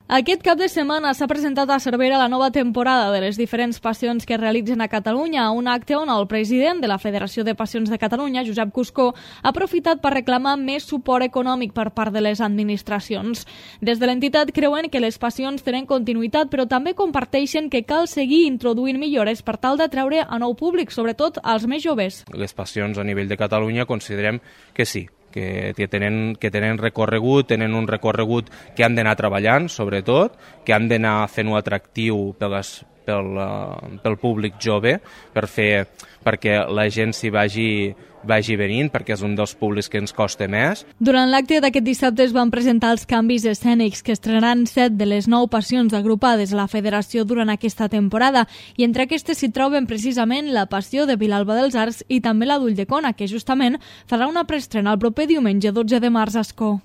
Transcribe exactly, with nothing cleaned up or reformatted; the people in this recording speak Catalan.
Aquest cap de setmana s'ha presentat a Cervera la nova temporada de les diferents passions que es realitzen a Catalunya, un acte on el president de la Federació de Passions de Catalunya, Josep Cuscó, ha aprofitat per reclamar més suport econòmic per part de les administracions. Des de l'entitat creuen que les passions tenen continuïtat, però també comparteixen que cal seguir introduint millores per tal d'atraure a nou públic, sobretot als més joves. Les passions a nivell de Catalunya considerem que sí, que tenen, que tenen recorregut, tenen un recorregut que han d'anar treballant, sobretot, que han d'anar fent-ho atractiu per les, pel, pel públic jove, per fer, perquè la gent s'hi vagi, vagi venint, perquè és un dels públics que ens costa més. Durant l'acte d'aquest dissabte es van presentar els canvis escènics que estrenaran set de les nou passions agrupades a la Federació durant aquesta temporada, i entre aquestes s'hi troben precisament la Passió de Vilalba dels Arcs i també la d'Ulldecona, que justament farà una preestrena el proper diumenge dotze de març a Ascó.